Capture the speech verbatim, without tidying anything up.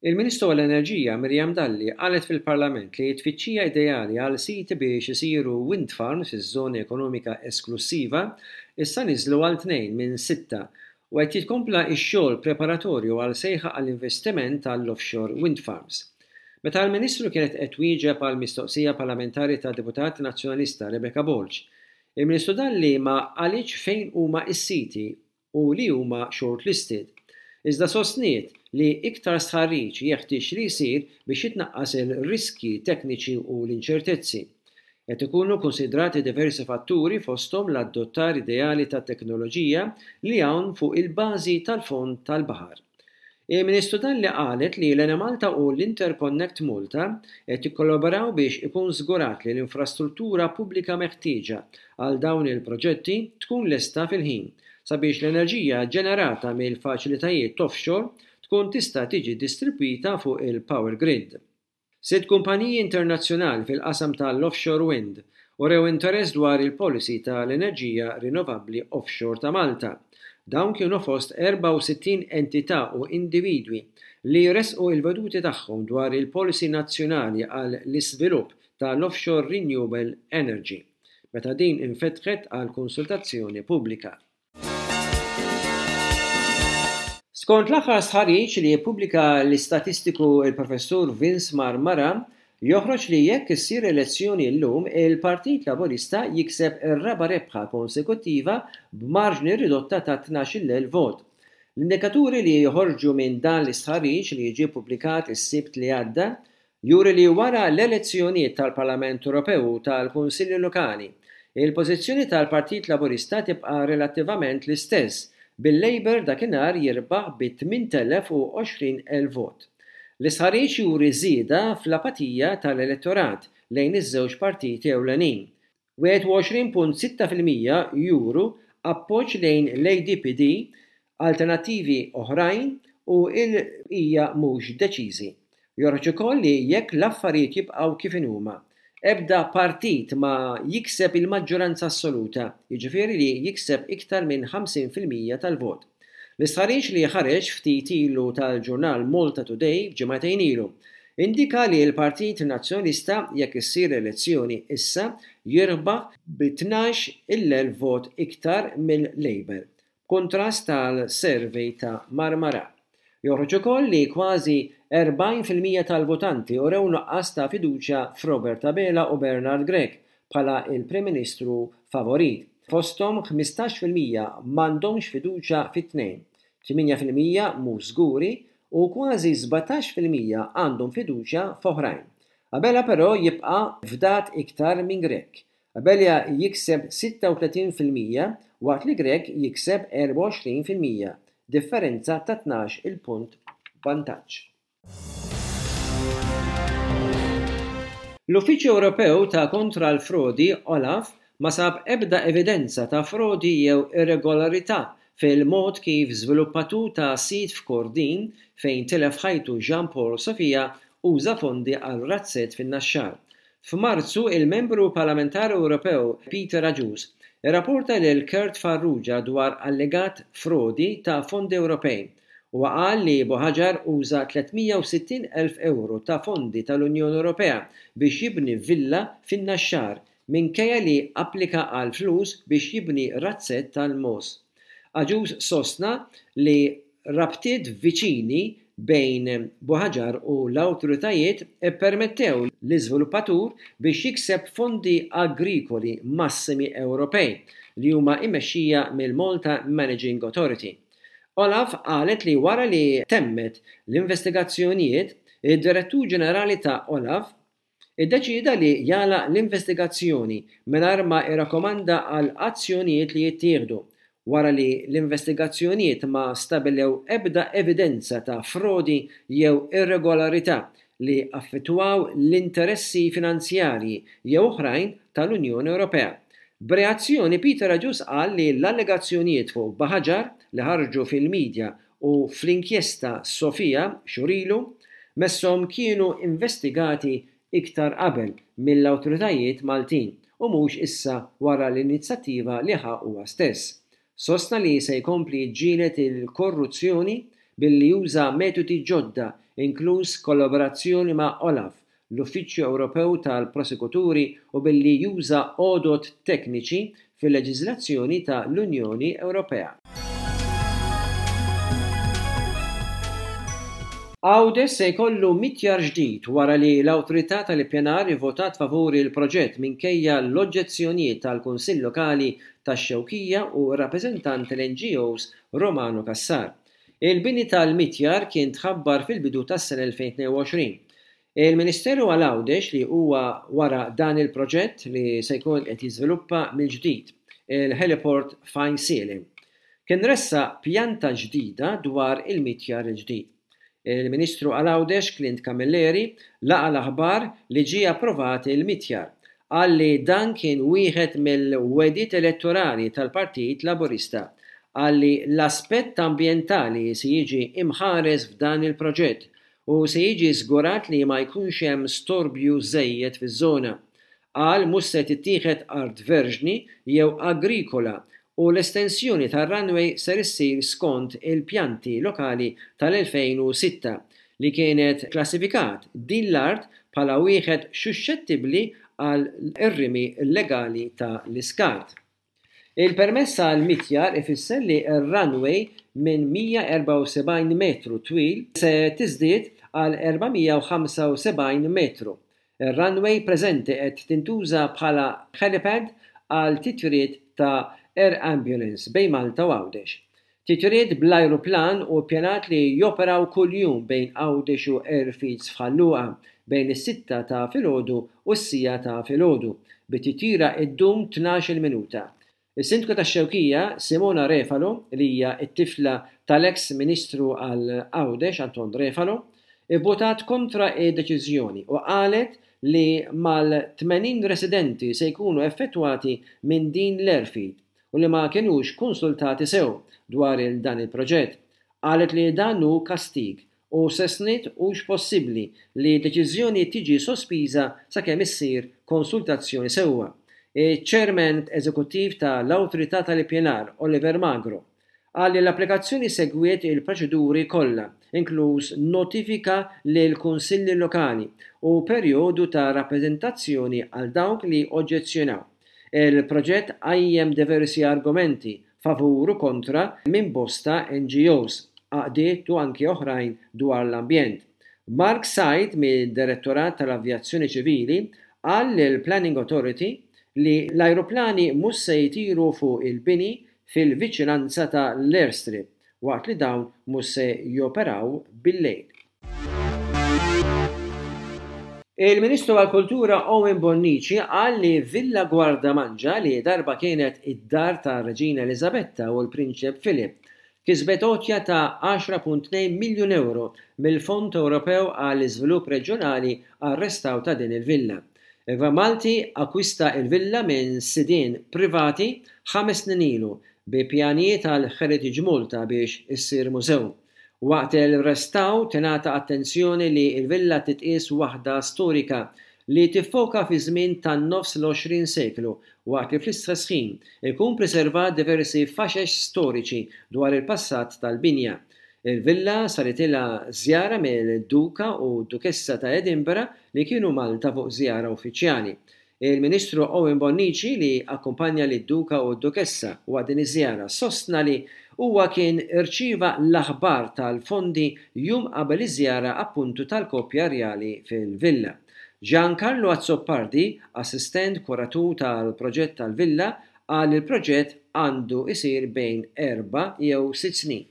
Il-Ministru għall-Enerġija Miriam Dalli qalet fil-Parlament li t-tfittxija ideali għal siti biex isiru wind farms fiż-żona ekonomika esklussiva issa niżlu għal tnejn minn sitta u qed jitkompla x-xogħol preparatorju għal sejħa għall-investiment tal-offshore wind farms. Meta l-Ministru kienet qed twieġeb għal mistoqsija parlamentari ta' deputat nazzjonalista Rebecca Borg, il-Ministru Dalli ma qalitx fejn huma s-siti u li huma shortlisted. Iżda sostniet li iktar stħarriġ jeħtieġ li jsir biex jitnaqqas il-riskji tekniċi u l-inċertezzi. Qed ikunu konsidrati diversi fatturi, fosthom l-adottar ideali ta' teknoloġija li hawn fuq il-bażi tal-fond tal-baħar. Il-Ministru Dalli qalet li l-Enemalta u l-Interconnect Malta qed jikkollaboraw biex ikun żgurat li l-infrastruttura pubblika meħtieġa għal dawn il-proġetti tkun lesta fil-ħin sabiex l-enerġija ġenerata mill-faċilitajiet offshore tkun tista' tiġi distribwita fuq il-power grid. Sitt kumpaniji internazzjonali fil-qasam tal-offshore wind urew interess dwar il-policy tal-enerġija rinnovabbli offshore ta' Malta. Dawn kienu fost erbgħa u sittin entità u individwi li resqu il-veduti tagħhom dwar il-policy nazzjonali għal l-iżvilupp tal-offshore renewable energy, meta din infetħet għal konsultazzjoni pubblika. Skont l-aħħar stħarriġ li jippubblika l-istatistiku il-Professur Vince Marmara, joħroġ li jekk issir elezzjoni llum, il-Partit Laburista jikseb ir-raba' rebħa konsekuttiva b'marġni ridotta ta' tnax-il elf vot. L-indikaturi li joħorġu minn dan l-istħarriġ, li ġie ppubblikat is-Sibt li għadda, juri li wara l-elezzjonijiet tal-Parlament Ewropew u tal-Kunsilli Lokali, il-pożizzjoni tal-Partit Laburista tibqa' relattivament l-istess, bil-Labour dakinhar jirbaħ bi tmint elef u għoxrin elf vot. L-istħarriġ juri żieda fl-apatija tal-elettorat lejn iż-żewġ partiti ewlenin. wieħed u għoxrin punt sitta fil-mija juru appoġġ lejn l-A D P D, alternattivi oħrajn u l-bqija mhux deċiżi. Joħroġ ukoll li jekk l-affarijiet jibqgħu kif inhuma, ebda partit ma jikseb il-maġġoranza assoluta, jiġifieri li jikseb iktar minn ħamsin fil-mija tal-vot. L-istħarriġ li ħareġ ftit ilu tal-ġurnal Malta Today ġimagħtejn ilu indika li l-Partit Nazzjonalista, jekk issir elezzjoni issa, jirbaħ bi tnax-il elf vot iktar mill-Labour, kontrast tal-survey ta' Marmara. Joħroġ ukoll li kważi erbgħin fil-mija tal-votanti urew nuqqas ta' fiduċja f'Robert Abela u Bernard Grech bħala il-Prim Ministru favorit. Fosthom ħmistax fil-mija m'għandhomx fiduċja fit-tnejn, tmienja fil-mija mhux żguri u kważi sbatax fil-mija għandhom fiduċja f'oħrajn. Abela però jibqa' fdat iktar minn Grech. Abela jikseb sitta u tletin fil-mija waqt li Grech jikseb erbgħa u għoxrin fil-mija, differenza ta' tnax il-punt vantaġġ. L-Uffiċċju Ewropew ta' kontra l-Frodi, OLAF, ma sab ebda evidenza ta' frodi jew irregolarità fil-mod kif żviluppatur ta' sit f'Kordin fejn tilef ħajtu Jean Paul Sofia uża fondi għal razzett fin-Naxxar. F'Marzu, il-membru parlamentari Ewropew Peter Agius irrapporta lil Kurt Farrugia dwar allegat frodi ta' fondi Ewropej u qal li Buhagiar uża tliet mija u sittin elf euro ta' fondi tal-Unjoni Ewropea biex jibni villa fin-Naxxar minkejja li applika għal flus biex jibni razzett tal-mogħoż. Agius sostna li rabtiet viċini bejn Buhagiar u l-awtoritajiet ippermettew l-iżviluppatur biex jikseb fondi agrikoli massimi Ewropej li huma mmexxija mill-Malta Managing Authority. Olaf qalet li wara li temmet l-investigazzjonijiet, id-Direttur Ġenerali ta' Olaf iddeċida li jagħlaq l-investigazzjoni mingħajr ma irrakkomanda għal azzjonijiet li jittieħdu, wara li l-investigazzjonijiet ma stabilew ebda evidenza ta' frodi jew irregolarità li affettwaw l-interessi finanzjarji jew oħrajn tal-Unjoni Ewropea. B'reazzjoni, Peter Agius qal li l-allegazzjonijiet fuq Buhagiar li ħarġu fil-medja u fl-inkjesta Sofia xhur ilu messhom kienu investigati iktar qabel mill-awtoritajiet Maltin u mhux issa wara l-inizjattiva li ħa huwa stess. Sostna li se jkompli jiġġieled il-korruzzjoni billi juża metodi ġodda, inkluż kollaborazzjoni ma' OLAF, l-Uffiċċju Ewropew tal-Prosekuturi, u billi juża għodod tekniċi fil-leġiżlazzjoni ta' l-Unjoni Ewropea. Għawdex se jkollu mitjar ġdid wara li l-Awtorità tal-Ippjanar ivvotat favur il-proġett minkejja l-oġġezzjonijiet tal-Kunsill Lokali tax-Xewkija u r-rappreżentant tal-N G Os Romano Cassar. Il-bini tal-mitjar kien tħabbar fil-bidu tas-sena elfejn tnejn u għoxrin. Il-Ministeru għal Għawdex, li huwa wara dan il-proġett li se jkun qed jiżviluppa mill-ġdid il-heliport f'Għajnsielem, kien ressaq pjanta ġdida dwar il-mitjar il-ġdid. Il-Ministru għal Għawdex Clint Camilleri laqa l-aħbar li ġie approvat il-mitjar. Qal li dan kien wieħed mill-wegħdiet elettorali tal-Partit Laburista. Qal li l-aspett ambjentali se jiġi imħares f'dan il-proġett u se jiġi żgurat li ma jkunx hemm storbju żejjed fiż-żona. Qal mhux se tittieħed art verġni jew agrikola u l-estensjoni tar-runway ser issir skont il-pjanti lokali tal-elfejn u sitta li kienet klassifikat din l-art bħala wieħed suxxettibbli għal ir-rimi illegali ta' l-iskart. Il-permess għal mitjar ifisser li r-runway minn mija u erbgħa u sebgħin metru twil se tiżdied għal erba' mija u ħamsa u sebgħin metru. Ir-runway preżenti qed tintuża bħala helipad għal titjiriet ta' air ambulance bejn Malta u Għawdex. Titjiriet bl-ajruplan u ppjanat li joperaw kuljum bejn Għawdex u airfields f'Ħal Luqa bejn is-sitta ta' filgħodu u s-siegħa ta' filgħodu, bit-titjira iddum tnax-il minuta. Is-Sindku tax-Xewkija, Simona Refalo, li hija t-tifla tal-eks Ministru għal Għawdex Anton Refalo, ivvotat kontra id-deċiżjoni u qalet li mal-tmenin residenti se jkunu effettwati minn din l-airfield u li ma kienux konsultati sew dwar il dan il-proġett. Qalet li dan hu kastig u sostniet hux possibbli li deċiżjoni tiġi sospiża sakemm issir konsultazzjoni sewwa. Il-Chairman Eżekuttiv tal-Awtorità tal-Ippjanar, Oliver Magro, qal li l-applikazzjoni segwiet il-proċeduri kollha, inkluż notifika lil kunsilli lokali u perjodu ta' rappreżentazzjoni għal dawk li oġġezzjonaw. Il-proġett qajjem diversi argumenti favur u kontra minn bosta N G Os, għaqdiet u anki oħrajn dwar l-ambjent. Mark Said mid-Direttorat tal-Avjazzjoni Ċivili qal lil Planning Authority li l-ajruplani mhux se jtiru fuq il-bini fil-viċinanza ta' l-airstrip waqt li dawn mhux se joperaw bil-lejl. Il-Ministru għall-Kultura Owen Bonnici qal li Villa Gwardamanġa, li darba kienet id-dar ta' Reġina Elizabetta u l-Prinċep Philip, kisbet għotja ta' għaxra punt tnejn miljun euro mill-Fond Ewropew għall Iżvilupp Reġjonali għar-restawr ta' din il-villa. Il-Gvern Malti akkwista il-villa minn sidien privati ħames snin ilu bi pjanijiet għal Heritage Malta biex issir mużew. Waqt il-restawr tingħata attenzjoni li l-villa titqies waħda storika li tiffoka fi żmien tan-nofs l-għoxrin seklu, waqt li fl-istess ħin ikun preservat diversi faxex storiċi dwar il-passat tal-binja. Il-villa saritilha żjara mill-Duka u Dukessa ta' Edinburgh li kienu Malta fuq żjara uffiċjali. Il-Ministru Owen Bonnici, li akkumpanja lid-Duka u d-Dukessa waqt din iż-żjara, sostna li huwa kien irċieva l-aħbar tal-fondi jum qabel iż-żjara appuntu tal-koppja rjali fil-villa. Giancarlo Azzopardi, assistent kuratur tal-proġett tal-villa, qal li l-proġett għandu isir bejn erba' jew sitt snin.